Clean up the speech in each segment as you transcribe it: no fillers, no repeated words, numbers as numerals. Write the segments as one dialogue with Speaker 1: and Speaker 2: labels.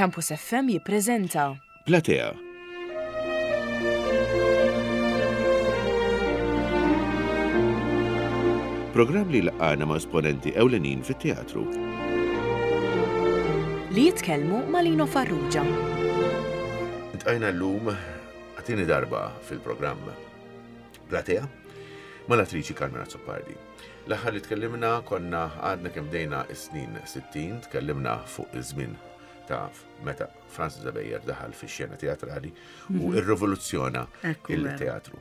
Speaker 1: Campus FM jippreżenta.
Speaker 2: Platea. Programm li jlaqqagħna ma' esponenti ewlenin fit-teatru.
Speaker 1: Li jitkellmu ma' Lino Farrugia.
Speaker 2: Iltqajna llum għat-tieni darba fil-programm Platea mal-attriċi Carmen Azzopardi. L-aħħar li tkellimna konna għadna kemm bdejna s-snin 60, tkellimna fuq iż-żmien ta' meta Francis Abejer daħal fix-xena teatrali u mhm. irrivoluzzjona il-teatru.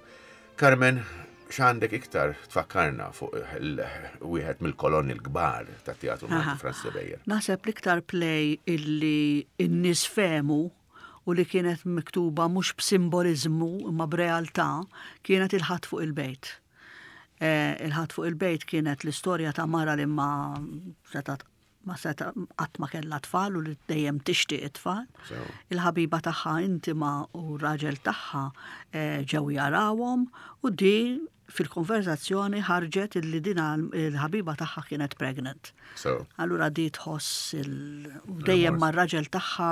Speaker 2: Carmen, x'għandek iktar tfakkarna fuq wieħed mill-kolonni l-kbar ta' teatru Malti Francis Abejer?
Speaker 3: Naħseb l-iktar play illi n-nies fehmu u li kienet miktuba mhux b'simboliżmu imma b'realtà kienet il-Ħadd fuq il-Bejt. Eh, il-Ħadd fuq il-Bejt kienet l-istorja ta' mara li ma setgħet ma seta qatt ma kellha tfal u li dejjem tixtieq it-tfal. Il-ħabiba tagħha intima u r-raġel tagħha eh, ġew jarawhom u di fil-konverzazzjoni ħarġet illi din il-ħabiba tagħha kienet pregnant. Allura di tħoss dejjem mar-raġel tagħha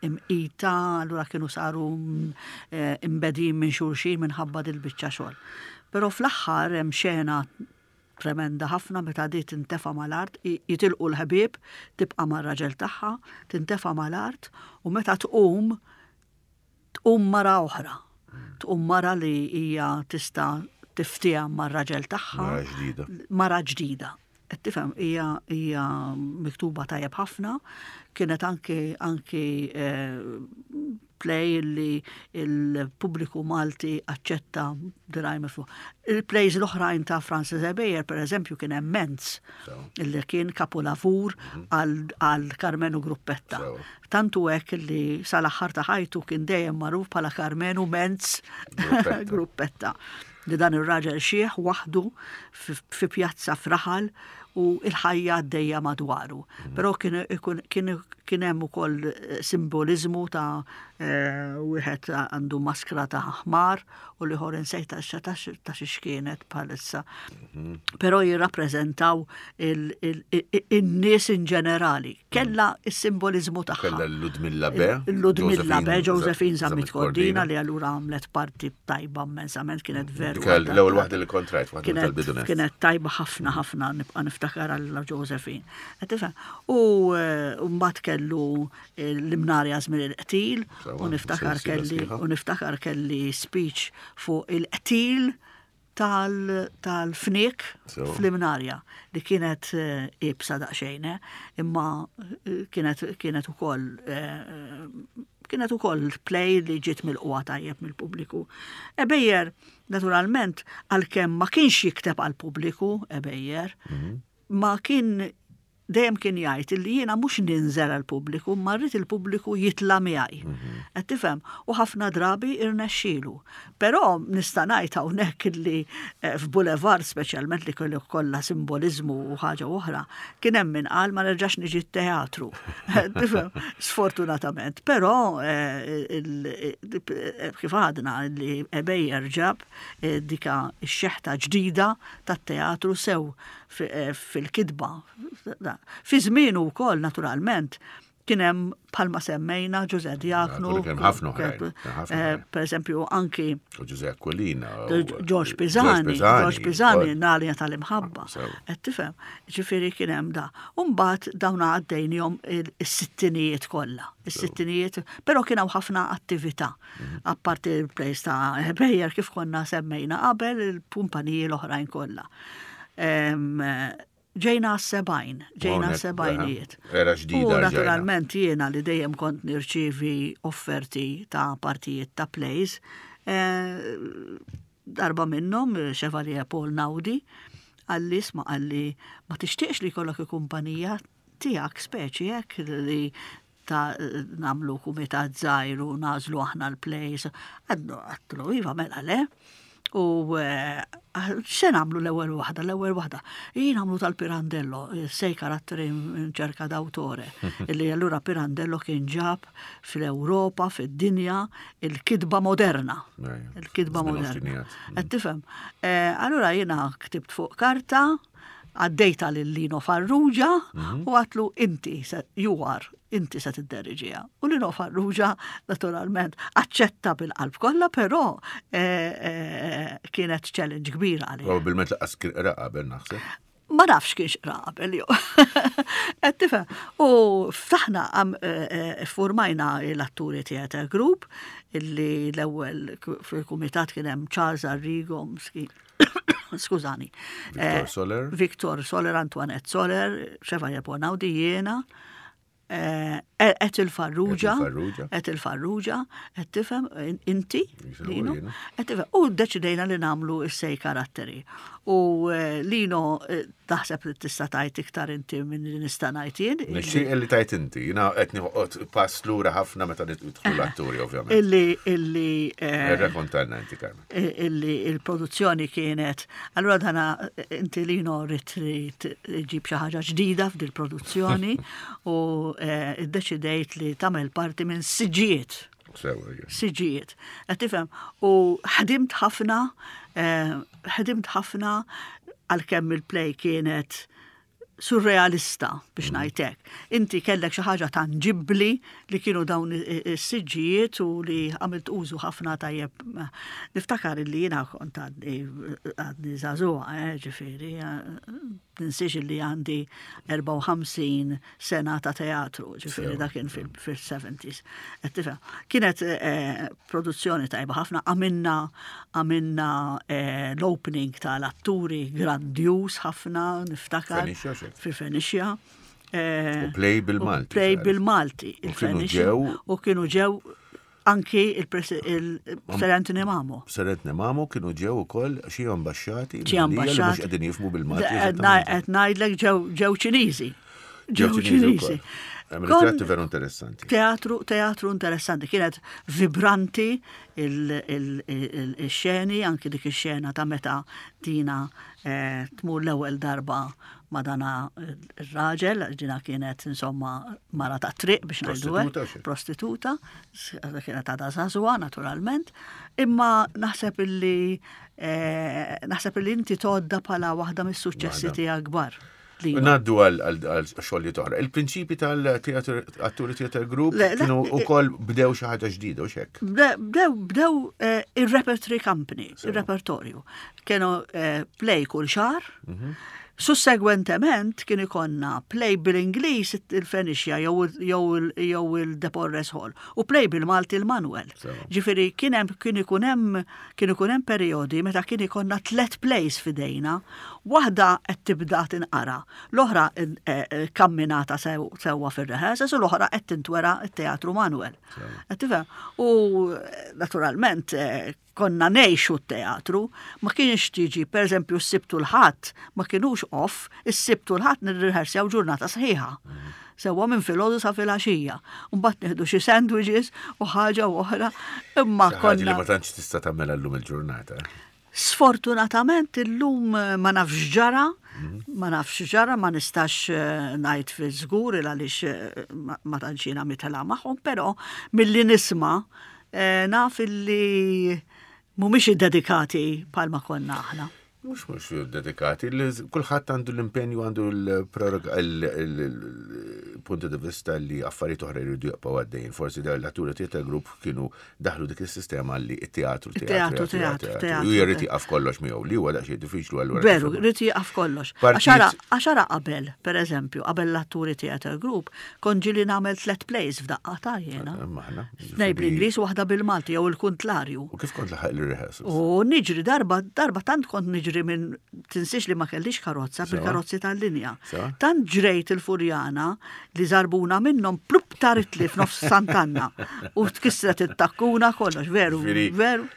Speaker 3: imqita, allura kienu saru eh, imbedin minn xulxin minħabba dil-biċċa xogħol. Però fl-aħħar hemm xena tremenda ħafna meta di tintefa' mal-art, jitilqu l-ħbieb, tibqa' mar-raġel tagħha, tintefa' mal-art u meta tqum Tqum mara oħra. Tqum mara li hija tista' tiftiehem mar-raġel tagħha.
Speaker 2: Mara ġdida.
Speaker 3: Mara ġdida. Qed tifhem hija hija miktuba tajjeb ħafna. Kienet anki anki eh, play li il-pubbliku Malti aċċetta diraj miftuħ. Il-plays l-oħrajn ta' Francis Ebejer, per eżempju, kien hemm Menz, illi kien kapulavur mhm. għal Karmenu Gruppetta. Tant hu hekk li sal-aħħar ta' ħajtu kien dejjem magħruf bħala Karmenu Menz Gruppetta. Li dan ir-raġel xiħ waħdu fi pjazza f'raħal u l-ħajja għaddejja madwaru. Mhm. Però kien hemm ukoll eh, simboliżmu ta' eh, wieħed għandu maskra ta' ħmar u l-ieħor insejt ta' xiex kienet bħalissa. Mhm. Però jirrappreżentaw in-nies in ġenerali. Kella s-simboliżmu tagħha.
Speaker 2: Kella l-Ludmilla Be.
Speaker 3: Ludmilla Be, Josephine Zammit Cordina li allura għamlet parti tajba immensament kienet veru.
Speaker 2: L-ewwel waħda li kontrajt, waħda tal-bidunet.
Speaker 3: Kienet tajba ħafna ħafna nibqa' niftakar għal Josephine. U eh, mbagħad kellu l-imnarja żmien il-qtil u niftakar kelli u niftakar kelli speech fuq il-qtil tal-fniek fl-imnarja li kienet eh, ibsa daqsxejn, eh, imma eh, kienet kienet ukoll kienet ukoll play li ġiet mill-qwa tajjeb mill-pubbliku. Ebejjer, naturalment, għalkemm ma kienx jikteb għall-pubbliku, Ebejjer, mhm. ma kien dejjem kien jgħid illi jiena mhux ninżel għall-pubbliku, imma rrid il-pubbliku jitla' miegħi. Mhm. Qed tifhem? U ħafna drabi irnexxielu. Però nista' ngħid hawnhekk illi eh, f'Boulevard speċjalment li kellu kollha simboliżmu u ħaġa oħra, kien hemm min qal ma nerġax niġi t-teatru. Tifhem? Sfortunatament. Però eh, eh, kif għadna li Ebejjer ġab dika x-xeħta ġdida tat-teatru sew Eh, fil-kitba. Fi żmienu wkoll naturalment kien hemm bħalma semmejna Ġuże Diaknu.
Speaker 2: Kien ħafna
Speaker 3: eh, Per eżempju anki
Speaker 2: Ġuże Aquilina.
Speaker 3: George Pisani, George Pisani, Nalja tal-imħabba. Qed tifhem, ġifieri kien hemm da. U mbagħad dawn għaddejnihom is-sittinijiet kollha. Is-sittinijiet, però kien hawn ħafna attività. Mhm. Apparti il-plejs ta' Bejer kif konna semmejna qabel il-kumpaniji l-oħrajn kollha. Ġejna għas-sebgħin, ġejna għas-sebgħinijiet.
Speaker 2: Era ġdida.
Speaker 3: U naturalment jiena li dejjem kont nirċievi offerti ta' partijiet ta' plays, eh, darba minnhom Chevalier Paul Naudi, għalli isma' għalli ma tixtieqx li jkollok il-kumpanija tiegħek speċi hekk li ta' namlu kumitat żgħir u nażlu aħna l-plays. Għadnu għatlu, iva mela le. U eh, se namlu l-ewwel waħda, l-ewwel waħda. Jien nagħmlu tal-Pirandello, eh, sej karatteri ċerka d'autore, illi allura Pirandello kien ġab fl-Ewropa, fid-dinja, il-kitba moderna. Il-kitba moderna. Qed tifhem. Eh, allura jiena ktibt fuq karta, Għaddejta lil Lino Farrugia u għatlu inti, you are, inti se tidderiġiha. U Lino Farrugia naturalment aċċetta bil-qalb kollha, però eh, eh, kienet challenge kbira għalih.
Speaker 2: Probabilment laqas kien qra qabel naħseb.
Speaker 3: Ma nafx kienx qra qabel jew. Qed tifhem. U ftaħna eh, formajna l-atturi theater group illi l-ewwel fil-kumitat kien hemm Charles Arrigo, skużani.
Speaker 2: Victor eh, Soler.
Speaker 3: Victor Soler, Antoinette Soler, Chevalier Bonaudi jiena, eh, et il-Farrugia, et il-Farrugia, et tifhem inti, Lino, et tifhem, u deċidejna li namlu s-sej karatteri. U eh, Lino Taħseb li tista' tgħid iktar inti minn li nista' ngħid jien?
Speaker 2: Nixtieq li tgħid inti, jiena qed noqgħod pass lura ħafna meta nidħlu l-atturi ovvjament.
Speaker 3: Illi illi
Speaker 2: eh, Irrakontalna inti Carmen.
Speaker 3: Eh, illi il-produzzjoni kienet, allura dana eh, inti li rrid li ġib xi ħaġa ġdida f'dil produzzjoni u iddeċidejt li tagħmel parti minn siġijiet. Siġijiet. Qed tifhem? U ħdimt ħafna, eh, ħdimt ħafna għalkemm il-play kienet surrealista biex mm. ngħidlek. Inti kellek xi ħaġa tanġibbli li kienu dawn is-siġġijiet u li għamilt użu ħafna tajjeb. Niftakar li jiena kont għadni għadni żagħżugħa, eh, ġifieri, eh, ninsiex li għandi 54 sena ta' teatru, ġifieri dak kien fil-70s. Kienet eh, produzzjoni tajba ħafna, għamilna għamilna eh, l-opening tal-atturi grandjuż ħafna, niftakar. Fi Fenicia.
Speaker 2: Eh, u play bil-Malti.
Speaker 3: Play bil-Malti.
Speaker 2: Il-Fenicia.
Speaker 3: U kienu ġew Anki il-Sir Anthony Mamo.
Speaker 2: Sir Anthony Mamo kienu ġew ukoll xi ambaxxati.
Speaker 3: Xi ambaxxati.
Speaker 2: Mhux qegħdin jifhmu bil-Malti.
Speaker 3: Qed ngħidlek ġew Ċiniżi.
Speaker 2: Ġew Ċiniżi. Teatru veru interessanti.
Speaker 3: Teatru, teatru interessanti. Kienet vibranti il-xeni, anki dik ix-xena ta' meta dina eh, tmur l-ewwel darba ma' dana r-raġel, dina kienet insomma mara ta' triq biex ngħidu hekk, prostituta, kienet għadha żagħżugħa naturalment, imma naħseb illi eh, naħseb illi inti tgħodda bħala waħda mis-suċċessi tiegħek kbar.
Speaker 2: Naddu għal xogħli toħra. Il-prinċipi tal-Atturi Theater Group kienu wkoll bdew xi ħaġa ġdida u xek.
Speaker 3: Bdew bdew eh, ir-repertory company, ir-repertorju. Kienu eh, play kull xahar. Mhm. Sussegwentement kien ikollna play bil-Ingliż il-Fenixja jew il-Deporres Hall u play bil-Malti l-Manuel. Ġifieri kien hemm kien ikun hemm kien ikun hemm perjodi meta kien ikollna tliet plays f'idejna, waħda qed tibda tinqara, l-oħra kamminata sewwa fir-rehearsals u l-oħra qed tintwera t-Teatru Manuel. Qed tifhem? U naturalment Konna ngħixu t-teatru, ma kienx tiġi, per eżempju, s-Sibt u l-Ħadd ma kinux off, is-Sibt u l-Ħadd nirriħersjaw ġurnata sħiħa. Sewwa minn filgħodu sa filgħaxija. Mbagħad nieħdu xi sandwiches u ħaġa u oħra, imma
Speaker 2: konna. Li ma tantx tista' tagħmilha llum il-ġurnata.
Speaker 3: Sfortunatament illum ma nafx ġara, ma nafx ġara, ma nistax eh, ngħid fi żgur il għaliex eh, ma tantx jiena mitela magħhom, però milli nisma' eh, naf illi mhumiex iddedikati bħalma konna aħna.
Speaker 2: Mhux mhux dedikati, kulħadd għandu l-impenju għandu l-punto di vista li affarijiet oħra jridu jibqgħu għaddejjin. Forsi dawn l-atturi theater group kienu daħlu dik is-sistema li t-teatru
Speaker 3: teatru teatru teatru.
Speaker 2: U jrid jieqaf kollox miegħu li huwa daqsxejn diffiċli
Speaker 3: allura. Veru, jrid jieqaf kollox. Għaxara qabel, per eżempju, qabel l-atturi theater group, Kont ġieli nagħmel tlet plays f'daqqa ta' jiena.
Speaker 2: Maħna.
Speaker 3: Tnej bl-Ingliż u waħda bil-Malti jew il-kuntlarju.
Speaker 2: U kif kont laħaq il-rehearsals?
Speaker 3: U niġri darba, darba tant kont niġri minn tinsiex li ma kellix karozza bil-karozzi tal-linja. Tant ġrejt il-Furjana li zarbuna minnhom plup taritli f'nofs Sant'Anna u tkissret it-takkuna kollox, veru, veru.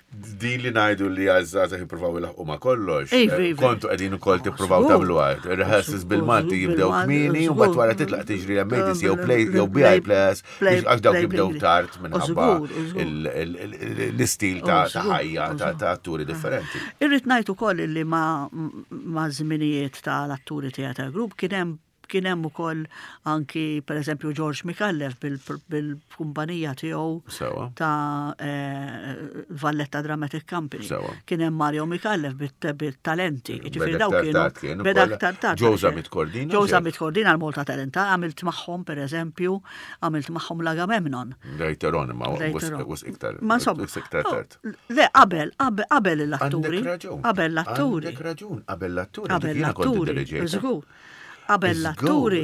Speaker 2: Din li ngħidu li għaż-żgħażagħ jippruvaw ilaħqu ma' kollox. Eh, kontu qegħdin ukoll tippruvaw tagħmlu għad. Rehearsals bil-Malti jibdew kmieni u mbagħad wara titlaq tiġri l-MADC jew play jew BI Plus għax dawk jibdew tard minħabba l-istil ta' ħajja ta' atturi differenti.
Speaker 3: Irrid ngħid ukoll li ma' żminijiet tal-atturi theater group kien hemm Kien hemm ukoll anki pereżempju George Micallef bil-kumpanija tiegħu ta' eh, Valletta Dramatic Company. Kien hemm Mario Micallef bit-talenti. Ġifieri
Speaker 2: dawk kienu. Beda aktar tard. Joe Zammit Cordina.
Speaker 3: Joe Zammit Cordina l-Malta Talenta għamilt magħhom pereżempju, għamilt magħhom l-Agamemnon.
Speaker 2: Later on, ma was iktar. Ma insomma. Iktar oh, tard.
Speaker 3: Le, qabel, qabel l-atturi. Qabel l-atturi.
Speaker 2: Għandek raġun, qabel l-atturi.
Speaker 3: Qabel l-atturi. Żgur. Qabel l-atturi,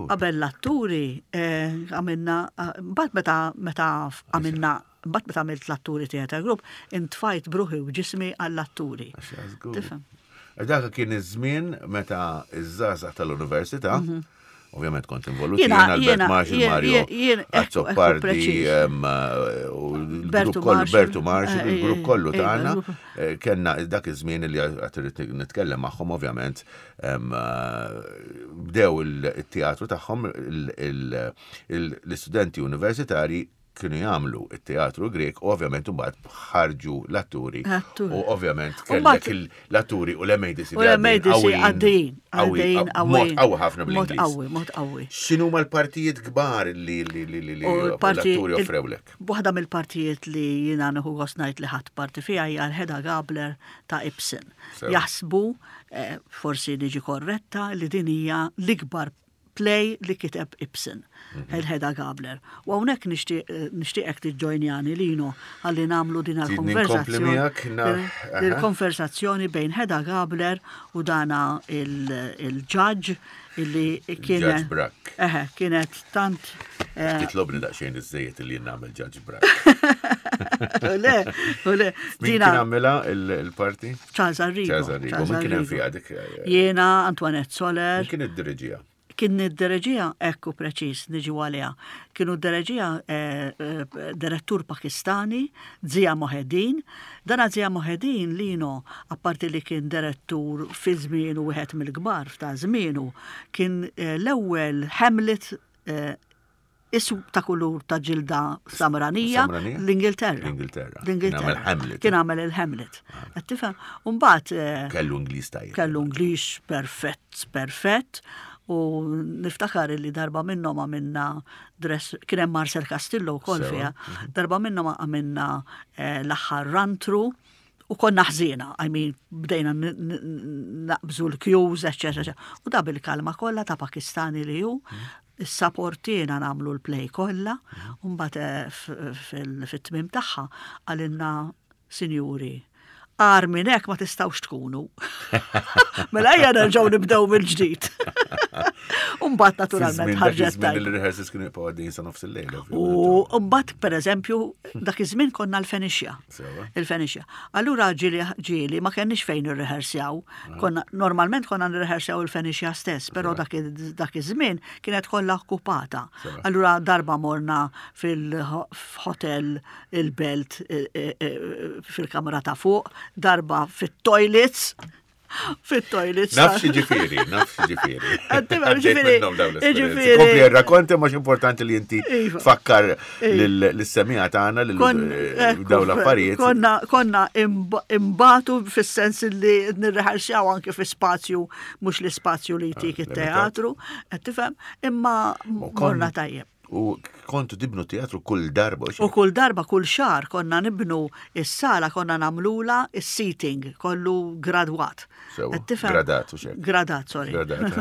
Speaker 3: qabel l-atturi, eh, għamilna, eh, mbagħad meta meta għamilna mbagħad meta għamilt l-atturi theater group, intfajt bruħi u ġismi għall-atturi.
Speaker 2: Tifhem? Dak kien iż-żmien meta iż-żgħażagħ tal-università, mhm. Ovvjament kont involut jien Albert Marshall, Mario Azzopardi, u l-grupp kollu, Bertu Marshall, eh, il-grupp kollu tagħna, kellna dak iż-żmien li għad irrid nitkellem magħhom ovvjament bdew il-teatru tagħhom l-istudenti universitari kienu jagħmlu it-teatru Grek u ovvjament imbagħad ħarġu l-atturi. U ovvjament kellek l-atturi u l-MADC.
Speaker 3: U l-MADC għaddejjin. Għaddejjin
Speaker 2: qawwi. Qawwi ħafna
Speaker 3: bl-Ingliż. Mod qawwi, mod qawwi.
Speaker 2: X'inhuma l-partijiet kbar li l-atturi offrewlek?
Speaker 3: Waħda mill-partijiet li jiena nieħu gost ngħid li ħadt parti fiha hija l-Hedda Gabler ta' Ibsen. Jaħsbu, eh, forsi niġi korretta, li din hija l-ikbar play li kiteb Ibsen, mhm. il-Hedda Gabler. U hawnhekk eh, nixtieqek tiġġojnjani Lino ħalli nagħmlu din il-konversazzjoni. Il-konversazzjoni bejn Hedda Gabler u dana il-ġaġġ illi
Speaker 2: kienet. Judge
Speaker 3: Eħe, kienet tant.
Speaker 2: Eh, Titlobni daqsxejn iż-żejjed li nagħmel Judge Brack.
Speaker 3: Le, le.
Speaker 2: Dina. Kien għamilha il-parti?
Speaker 3: Charles Arrigo.
Speaker 2: Charles Arrigo. Min kien hemm fiha dik?
Speaker 3: Eh, Jiena, Antoinette Soler.
Speaker 2: Min kien id-diriġija?
Speaker 3: Kien id-dereġija, ekku preċiż, niġu għaliha. Kienu d-dereġija eh, eh, direttur Pakistani, Zia Mohedin. Dana Zia Mohedin Lino, apparti li kien direttur fi żmienu wieħed mill-kbar f'ta' żmienu, kien eh, l-ewwel Hamlet isu ta' kulur ta' ġilda samranija l-Ingilterra.
Speaker 2: L-Ingilterra.
Speaker 3: L-Ingilterra. Kien għamel il-Hamlet. Qed tifhem? U mbagħad
Speaker 2: eh, kellu Ingliż tajjeb.
Speaker 3: Kellu Ingliż perfett, perfett. U niftakar li darba minnhom għamilna dress, kien hemm Marcel Castillo wkoll fiha, mhm. darba minnhom għamilna eh, l-aħħar rantru u konna ħżiena, I mean, bdejna naqbżu l-kjuż, eccetera. U da bil-kalma kollha ta' Pakistani li hu, mhm. Issaportiena nagħmlu l-play kollha, u mbagħad eh, fit-tmiem tagħha qalilna sinjuri, agħar minn hekk ma tistgħux tkunu. Mela ejja nerġgħu nibdew mill-ġdid. U mbagħad naturalment
Speaker 2: ħarġet tajba. Il-rehearsals kienu jibqgħu għaddejjin sa nofs il-lejl.
Speaker 3: U mbagħad pereżempju dak iż-żmien konna l-Fenixja. Il-Fenixja. Allura ġieli ġieli ma kenniex fejn nirrehersjaw. Ah. Konna normalment konna nirrehersjaw il-Fenixja stess, però dak iż-żmien kienet kollha okkupata. Allura darba morna fil-hotel il-belt e, e, e, fil-kamra ta' fuq, darba fit-toilets, fit-toilets.
Speaker 2: Naf ġifieri, naf ġifieri. Ġifieri. Ġifieri. Kompli rrakkonti ma importanti li inti iva. tfakkar iva. l-semija tagħna lil eh, dawn l-affarijiet.
Speaker 3: Konna konna imbatu fis-sens li nirreħarsjaw anke fi spazju mhux l-ispazju li jtik ah, it-teatru, qed tifhem, imma morna tajjeb.
Speaker 2: U kontu tibnu teatru kull darba.
Speaker 3: U kull darba, kull xahar konna nibnu is-sala konna nagħmlula is-seating kollu gradwat.
Speaker 2: Gradat u xek.
Speaker 3: Gradat, sorry.
Speaker 2: Gradat.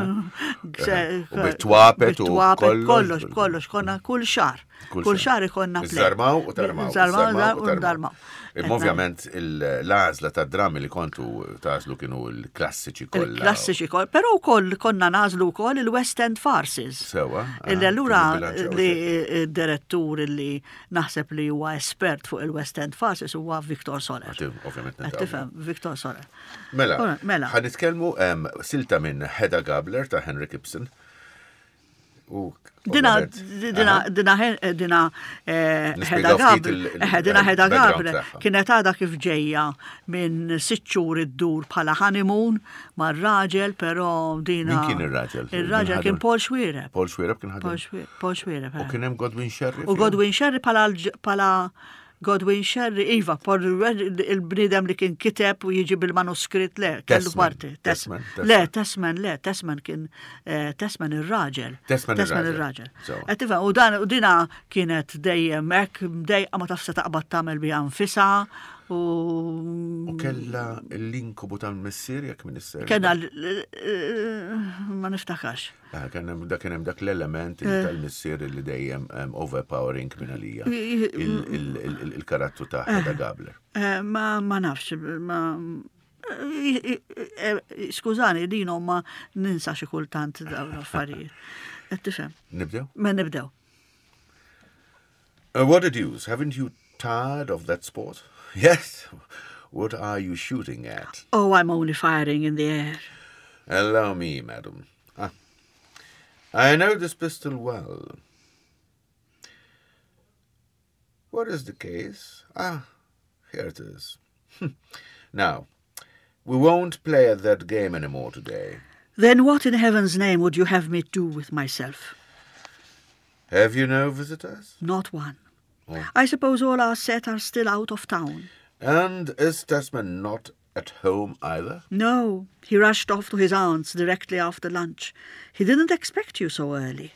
Speaker 2: Eh. U bit-twapet u
Speaker 3: kollox. Kollox, konna kull xahar. Kull xahar ikonna
Speaker 2: play. Zarmaw u tarmaw.
Speaker 3: Zarmaw u tarmaw.
Speaker 2: Imma ovvjament l-għażla ta' drammi li kontu tażlu kienu l-klassiċi kollha.
Speaker 3: Il-klassiċi kollha, però wkoll konna nażlu wkoll il-West End farces.
Speaker 2: Sewa.
Speaker 3: Illi allura li direttur li naħseb li huwa espert fuq il-West End farces huwa Victor Soler.
Speaker 2: Ovvjament.
Speaker 3: Tifhem, Victor Soler.
Speaker 2: Mela, mela. Ħa nitkellmu silta minn Hedda Gabler ta' Henrik Ibsen.
Speaker 3: Dina, dina, dina, dina, eh, Hedda Gabler, eh, dina Hedda Gabler, kienet għada kif ġejja minn sitt xhur iddur bħala honeymoon mar-raġel, però dina.
Speaker 2: Min kien ir-raġel?
Speaker 3: Ir-raġel kien Paul Xuereb.
Speaker 2: Paul Xuereb kien ħadem.
Speaker 3: Paul Xuereb.
Speaker 2: U eh. kien hemm Godwin Sherry.
Speaker 3: U Godwin Sherry bħala bħala Godwin Sherry, iva, il-bniedem li kien kiteb u jiġi bil-manuskritt, le, kellu parti.
Speaker 2: Tesman,
Speaker 3: Le, Tesman, le, Tesman kien, eh, Tesman ir-raġel.
Speaker 2: Tesman ir-raġel.
Speaker 3: Qed u dan u dina kienet dejjem hekk mdejqa ma tafx se taqbad tagħmel biha nfisha u.
Speaker 2: U kellha l-inkubu tal-missier jekk minn isser.
Speaker 3: Kellha ma niftakarx.
Speaker 2: Ah, dak kien hemm dak l-element eh. tal-missier li dejjem overpowering minn għalija. Il-karattru ta' Hedda eh. Gabler.
Speaker 3: Eh, ma nafx, ma Skużani, din ma ninsa xi kultant dawn l-affarijiet. Qed tifhem?
Speaker 2: Nibdew?
Speaker 3: Ma nibdew.
Speaker 2: Uh, what a deuce, haven't you tired of that sport? Yes. What are you shooting at?
Speaker 3: Oh, I'm only firing in the air.
Speaker 2: Allow me, madam. Ah. I know this pistol well. What is the case? Ah, here it is. now, we won't play at that game any more today.
Speaker 3: Then what in heaven's name would you have me do with myself?
Speaker 2: Have you no visitors?
Speaker 3: Not one. Oh. I suppose all our set are still out of town.
Speaker 2: And is Tesman not at home either?
Speaker 3: No, he rushed off to his aunt's directly after lunch. He didn't expect you so early.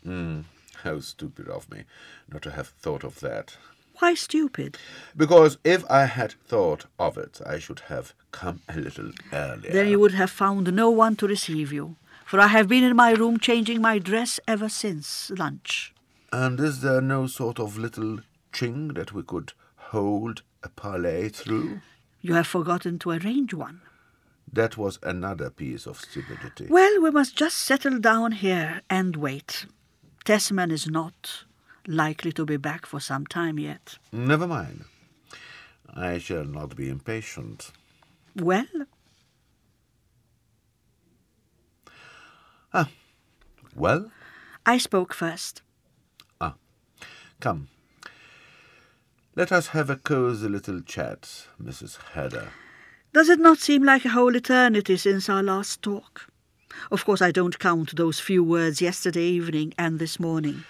Speaker 2: Mm, how stupid of me not to have thought of that.
Speaker 3: Why stupid?
Speaker 2: Because if I had thought of it, I should have come a little earlier.
Speaker 3: Then you would have found no one to receive you, for I have been in my room changing my dress ever since lunch.
Speaker 2: And is there no sort of little ching that we could hold a parley through?
Speaker 3: You have forgotten to arrange one.
Speaker 2: That was another piece of stupidity.
Speaker 3: Well, we must just settle down here and wait. Tesman is not likely to be back for some time yet.
Speaker 2: Never mind. I shall not be impatient.
Speaker 3: Well?
Speaker 2: Ah, well?
Speaker 3: I spoke first.
Speaker 2: Ah, come. Let us have a cosy little chat, Mrs. Hedder.
Speaker 3: Does it not seem like a whole eternity since our last talk? Of course, I don't count those few words yesterday evening and this morning.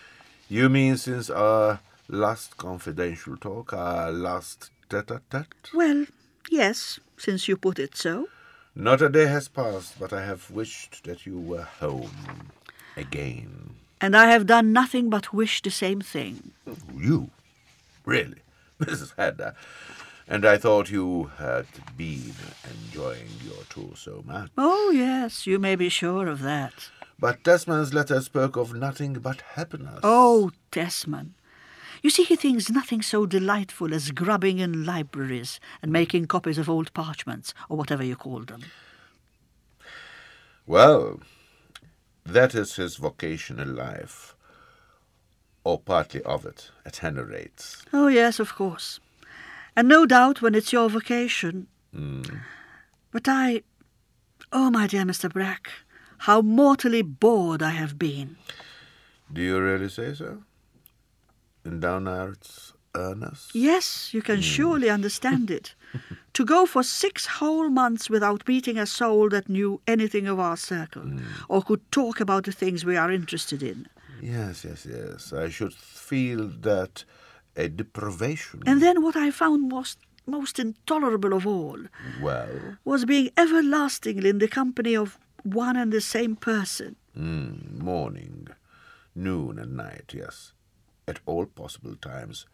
Speaker 2: You mean since our last confidential talk, our last tete-a-tete?
Speaker 3: Well, yes, since you put it so.
Speaker 2: Not a day has passed, but I have wished that you were home again.
Speaker 3: And I have done nothing but wish the same thing.
Speaker 2: You? Really? Mrs. Hedda? And I thought you had been enjoying your tour so much.
Speaker 3: Oh, yes, you may be sure of that.
Speaker 2: But Tesman's letter spoke of nothing but happiness.
Speaker 3: Oh, Tesman. You see, he thinks nothing so delightful as grubbing in libraries and making copies of old parchments, or whatever you call them.
Speaker 2: Well, that is his vocation in life, or partly of it, at any rate.
Speaker 3: Oh, yes, of course. And no doubt when it's your vocation.
Speaker 2: Mm.
Speaker 3: But I... Oh, my dear Mr. Brack, how mortally bored I have been.
Speaker 2: Do you really say so? In downright earnest?
Speaker 3: Yes, you can mm. surely understand it. to go for six whole months without meeting a soul that knew anything of our circle, mm. or could talk about the things we are interested in.
Speaker 2: Yes, yes, yes. I should feel that a deprivation.
Speaker 3: And then what I found most most intolerable of all
Speaker 2: well
Speaker 3: was being everlastingly in the company of one and the same person.
Speaker 2: Mm, morning, noon and night, yes. At all possible times.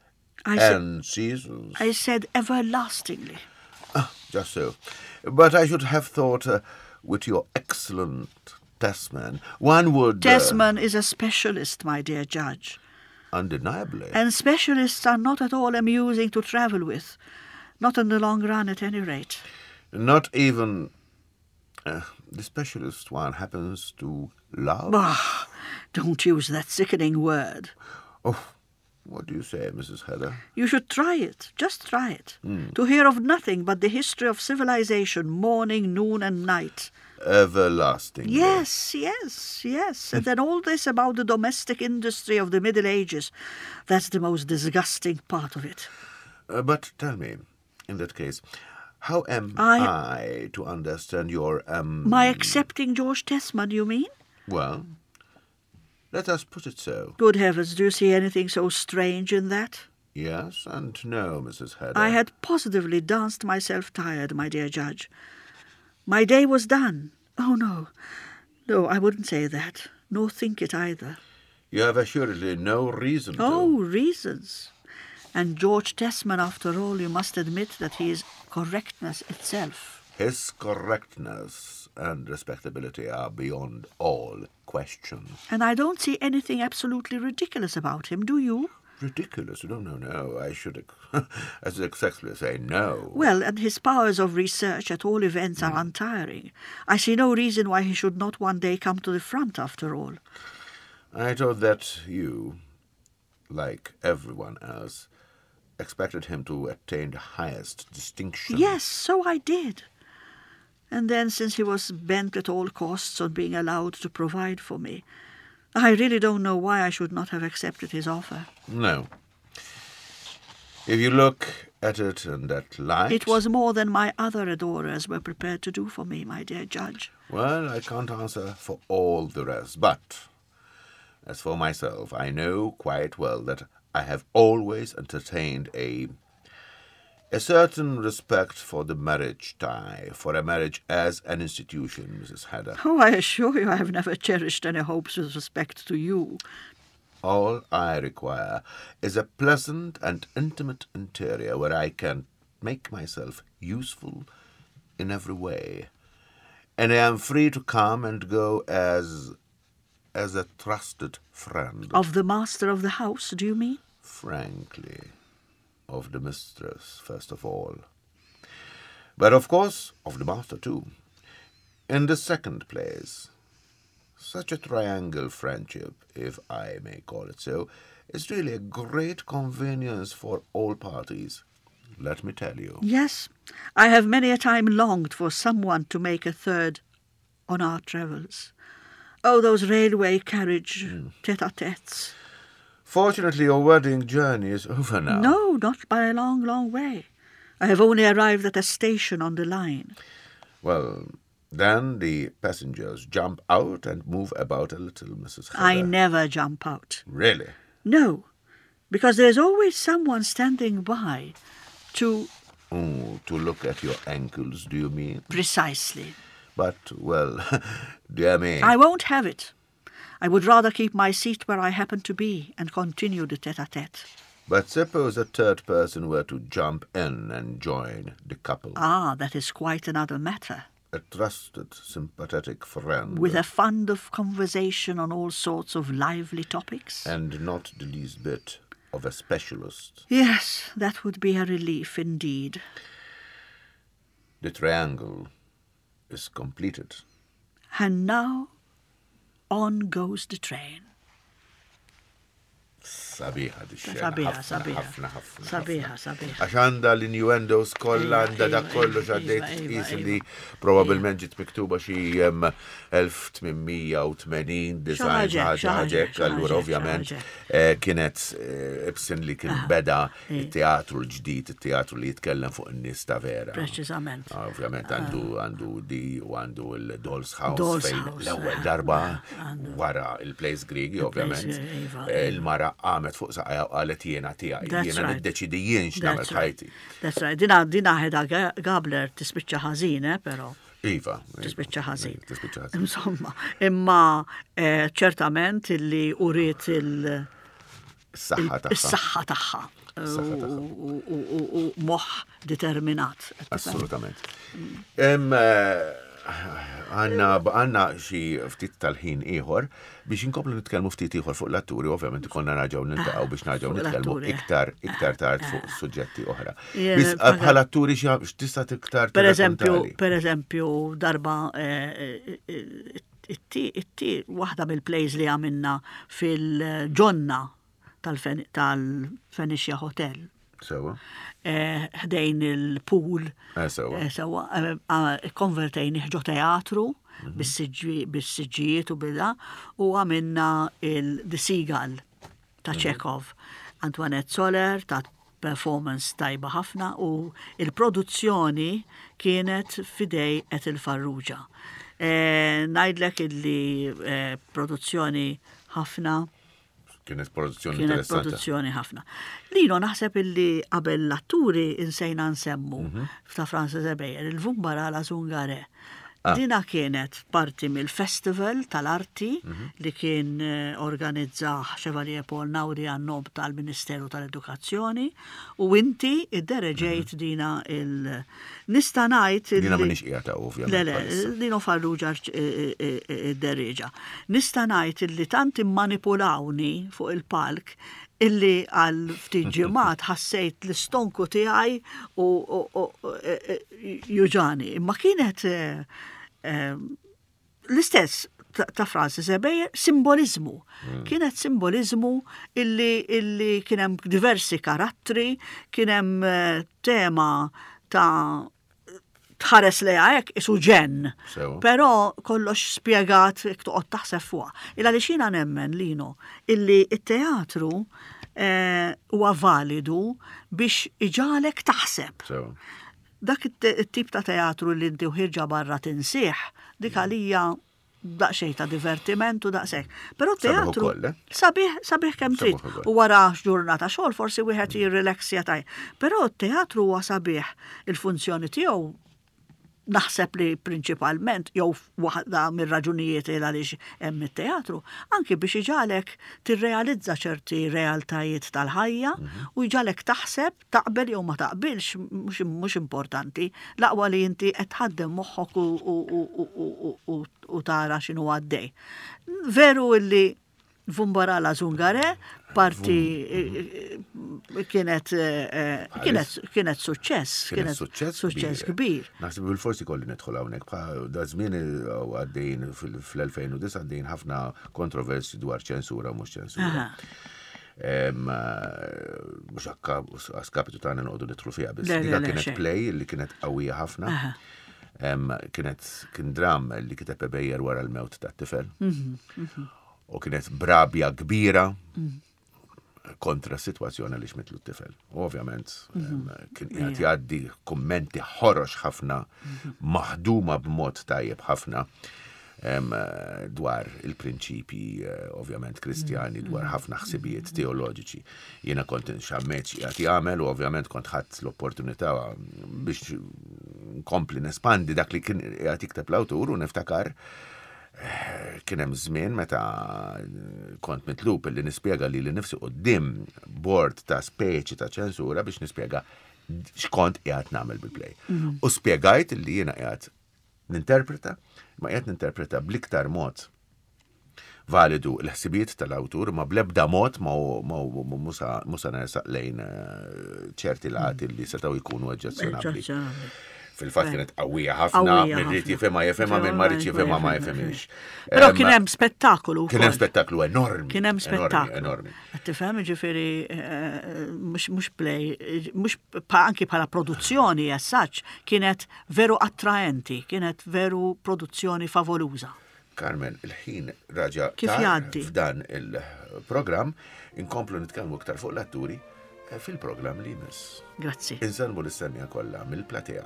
Speaker 3: I
Speaker 2: and seasons.
Speaker 3: I said everlastingly.
Speaker 2: Ah, just so. But I should have thought, uh, with your excellent Tesman, one would...
Speaker 3: Uh, Tesman is a specialist, my dear judge.
Speaker 2: Undeniably.
Speaker 3: And specialists are not at all amusing to travel with. Not in the long run, at any rate.
Speaker 2: Not even uh, the specialist one happens to love?
Speaker 3: Bah, don't use that sickening word.
Speaker 2: Oh, what do you say, Mrs. Heather?
Speaker 3: You should try it. Just try it. Mm. To hear of nothing but the history of civilization, morning, noon, and night.
Speaker 2: Everlasting.
Speaker 3: Yes, yes, yes. and then all this about the domestic industry of the Middle Ages. That's the most disgusting part of it.
Speaker 2: Uh, but tell me, in that case, how am I, I to understand your... Um...
Speaker 3: My accepting George Tesman, you mean?
Speaker 2: Well, let us put it so.
Speaker 3: Good heavens, do you see anything so strange in that?
Speaker 2: Yes and no, Mrs. Hedder.
Speaker 3: I had positively danced myself tired, my dear judge. My day was done. Oh, no. No, I wouldn't say that, nor think it either.
Speaker 2: You have assuredly no reason to.
Speaker 3: Oh, reasons. And George Tesman, after all, you must admit that he is correctness itself.
Speaker 2: His correctness and respectability are beyond all question.
Speaker 3: And I don't see anything absolutely ridiculous about him, do you?
Speaker 2: Ridiculous? No, no, no. I should, as successfully say no.
Speaker 3: Well, and his powers of research at all events mm. are untiring. I see no reason why he should not one day come to the front after all.
Speaker 2: I thought that you, like everyone else, expected him to attain the highest distinction.
Speaker 3: Yes, so I did. And then, since he was bent at all costs on being allowed to provide for me, I really don't know why I should not have accepted his offer.
Speaker 2: No. If you look at it in that light.
Speaker 3: It was more than my other adorers were prepared to do for me, my dear judge.
Speaker 2: Well, I can't answer for all the rest, but as for myself, I know quite well that I have always entertained a a certain respect for the marriage tie, for a marriage as an institution, Mrs. Hedder.
Speaker 3: Oh, I assure you I have never cherished any hopes with respect to you.
Speaker 2: All I require is a pleasant and intimate interior where I can make myself useful in every way. And I am free to come and go as as a trusted friend.
Speaker 3: Of the master of the house, do you mean?
Speaker 2: Frankly, of the mistress, first of all. But of course, of the master too. In the second place, such a triangle friendship, if I may call it so, is really a great convenience for all parties. Let me tell you.
Speaker 3: Yes, I have many a time longed for someone to make a third on our travels. Oh, those railway carriage mm. tete-a-tetes.
Speaker 2: Fortunately, your wedding journey is over now.
Speaker 3: No, not by a long, long way. I have only arrived at a station on the line.
Speaker 2: Well, then the passengers jump out and move about a little, Mrs.
Speaker 3: Heather. I never jump out.
Speaker 2: Really?
Speaker 3: No, because there's always someone standing by to...
Speaker 2: Oh, to look at your ankles, do you mean?
Speaker 3: Precisely.
Speaker 2: But, well, dear me.
Speaker 3: I won't have it. I would rather keep my seat where I happen to be and continue the tete-a-tete.
Speaker 2: But suppose a third person were to jump in and join the couple.
Speaker 3: Ah, that is quite another matter.
Speaker 2: A trusted, sympathetic friend.
Speaker 3: With a fund of conversation on all sorts of lively topics.
Speaker 2: And not the least bit of a specialist.
Speaker 3: Yes, that would be a relief indeed.
Speaker 2: The triangle is completed.
Speaker 3: And now on goes the train.
Speaker 2: Sabiħa di xena.
Speaker 3: Sabiħa,
Speaker 2: sabiħa. Ħafna, ħafna.
Speaker 3: Sabiħa, sabiħa.
Speaker 2: Għax għandha l-innuendos kollha, għandha dak kollu x'għaddejt tqis li probabbilment ġiet miktuba xi 1880 design ħaġa ħaġek, allura ovvjament eh, kienet eh, Ibsen li kien ah, beda it-teatru l-ġdid, it-teatru li jitkellem fuq in-nies ta' vera.
Speaker 3: Preċiżament.
Speaker 2: Ah, ovvjament għandu ah. għandu di u għandu l-Doll's House fejn l-ewwel eh, darba wara il-Place Grigi, ovvjament. Iva, eh, il-mara qamet fuq saqajja u qalet jiena tiegħi, jiena niddeċidi jien x'nagħmel ħajti.
Speaker 3: That's right. Dina dina ħeda Gabler tispiċċa ħażin, eh, però.
Speaker 2: Iva.
Speaker 3: Tispiċċa ħażin. Tispiċċa ħażin. Insomma, imma eh, ċertament illi uriet il-
Speaker 2: Is-saħħa tagħha.
Speaker 3: Is-saħħa tagħha. U moħħ determinat.
Speaker 2: Assolutament. Eh, għanna għanna xi ftit tal-ħin ieħor biex inkomplu nitkellmu ftit ieħor fuq l-atturi, ovvjament ikollna narġgħu niltaqgħu biex narġgħu nitkellmu eh. iktar iktar tard fuq eh. suġġetti oħra. Biss bħala atturi x'tista' tiktar
Speaker 3: Per eżempju, per eżempju, darba It-ti waħda mill-plays li għamilna fil-ġonna tal-Fenicia Hotel.
Speaker 2: Sewa.
Speaker 3: Eh, ħdejn il-pool.
Speaker 2: Eh, sewa.
Speaker 3: Eh, sewa. Konvertejn ġo teatru mhm. bis-siġġijiet u bida u għamilna il-The Seagull ta' mhm. Chekhov. Antoinette Soler ta' performance tajba ħafna u il-produzzjoni kienet fidej Ethel Farrugia. E, Ngħidlek illi e, produzzjoni ħafna.
Speaker 2: Kienet produzzjoni
Speaker 3: Kienet
Speaker 2: interessanti.
Speaker 3: produzzjoni ħafna. Lino naħseb illi qabel l-atturi insejna nsemmu
Speaker 2: Mhm.
Speaker 3: ta' Francis Ebejer, il-Vumbara la Zungare.
Speaker 2: Ah.
Speaker 3: Dina kienet parti mill-festival tal-arti
Speaker 2: Mhm.
Speaker 3: li kien eh, organizza Chevalier Paul Nauri għan-nom tal-Ministeru tal-Edukazzjoni u inti iddereġejt dina il- Nista' ngħid
Speaker 2: Mhm. Dina
Speaker 3: illi-
Speaker 2: m'iniex qiegħda ovvjament.
Speaker 3: Le, le,
Speaker 2: bħalissa.
Speaker 3: Lino Farrugia id-derriġa. Nista' ngħid illi tant immanipulawni fuq il-palk illi għal ftit ġimgħat ħassejt l-istonku tiegħi u u- u- e- e- juġani. Imma kienet eh, eh, l-istess ta' ta' Francis Ebejer, simbolizmu. Kienet simbolizmu illi, illi kienem diversi karattri, kienem eh, tema ta' tħares li hekk isu ġen.
Speaker 2: Sewa.
Speaker 3: Però kollox spjegat jekk toqgħod taħseb fuqha. Illa li xina nemmen Lino illi it-teatru eh, huwa validu biex iġalek taħseb
Speaker 2: Sewa.
Speaker 3: dak it-tip ta' teatru li inti uħirġa barra tinsieħ, dik għalija daqsxejn ta' divertiment u daqshekk. Però
Speaker 2: Sabiħ
Speaker 3: teatru
Speaker 2: ukoll, eh?
Speaker 3: sabiħ sabiħ kemm
Speaker 2: Sabiħ
Speaker 3: trid.
Speaker 2: ukoll.
Speaker 3: U wara ġurnata xogħol forsi wieħed jirrilaxja taj. Però t-teatru huwa sabiħ il-funzjoni tiegħu naħseb li prinċipalment jew waħda mir-raġunijiet il għaliex hemm it-teatru, anki biex iġalek tirrealizza ċerti realtajiet tal-ħajja u jġalek taħseb taqbel jew ma taqbilx mhux mhux importanti, l-aqwa li inti qed tħaddem moħħok u, u, u, u, u, u, u tara x'inhu għaddej. Veru illi Vumbarala Zungare, parti eh, kienet eh, eh, kienet kienet suċċess,
Speaker 2: Kienet suċċess
Speaker 3: suċċess kbir.
Speaker 2: Naħseb bil-forsi kolli nidħol hawnhekk bħal da żmien u għaddejn fil-2009 għaddejn ħafna kontroversi dwar ċensura u mhux ċensura.
Speaker 3: Aha.
Speaker 2: Em, eh, Mhux akka għaskapitu tagħna noqogħdu nidħlu fiha biss.
Speaker 3: Le, le,
Speaker 2: Dika
Speaker 3: le,
Speaker 2: kienet
Speaker 3: xejn.
Speaker 2: play li kienet qawwija ħafna.
Speaker 3: Aha.
Speaker 2: Em, Kienet kien dram li kiteb Ebejer wara l-mewt tat-tifel.
Speaker 3: Mhm,
Speaker 2: U kienet brabja kbira kontra s-sitwazzjoni li xmitlu t-tifel. U Ovvjament, em, kien qiegħed jgħaddi kummenti ħorox ħafna, maħduma b'mod tajjeb ħafna em, eh, dwar il-prinċipji eh, ovvjament kristjani, dwar ħafna ħsibijiet teoloġiċi. Jiena kont xammeċ qiegħed jagħmel u ovvjament kont ħadd l-opportunità biex nkompli nespandi dak li kien qiegħed jikteb l-awtur u niftakar kien hemm żmien meta kont mitlub li nispjega li li nifsi quddiem board ta' speċi ta' ċensura biex nispjega x'kont qiegħed nagħmel bil-play. U spjegajt li jiena qiegħed ninterpreta, ma qiegħed ninterpreta bl-iktar mod validu l-ħsibijiet tal-awtur ma blebda mod ma ma musa nersaq lejn eh, ċerti lati li setgħu jkunu oġġezzjonabbli.
Speaker 3: Oġġezzjonabbli.
Speaker 2: Fil-fatt kienet qawwija ħafna,
Speaker 3: Qawwija
Speaker 2: min ried
Speaker 3: ħafna.
Speaker 2: jifhimha jifhimha, min ma riedx jifhimha ma jifhimx.
Speaker 3: Però
Speaker 2: Em,
Speaker 3: kien hemm spettakolu.
Speaker 2: Kien hemm
Speaker 3: wkoll.
Speaker 2: spettaklu enormi.
Speaker 3: Kien hemm
Speaker 2: enormi,
Speaker 3: spettaklu.
Speaker 2: Enormi.
Speaker 3: Qed Tifhem ġifieri eh, mhux mhux play, eh, mhux pa- anki bħala produzzjoni as such, kienet veru attraenti, kienet veru produzzjoni favoluża.
Speaker 2: Carmen, il-ħin raġa
Speaker 3: Kif
Speaker 2: tar
Speaker 3: jgħaddi?
Speaker 2: f'dan il-programm inkomplu nitkellmu iktar fuq l-atturi eh, fil-programm li jmiss.
Speaker 3: Grazzi.
Speaker 2: Insellmu l-istennija kollha mill-platea.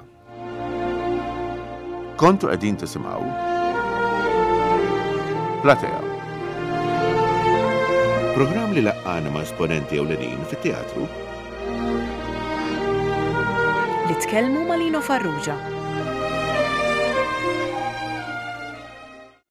Speaker 2: Kontu qegħdin tisimgħu Platea. Programm li laqqana ma' esponenti ewlenin fit-teatru
Speaker 1: Li tkellmu ma' Lino Farrugia.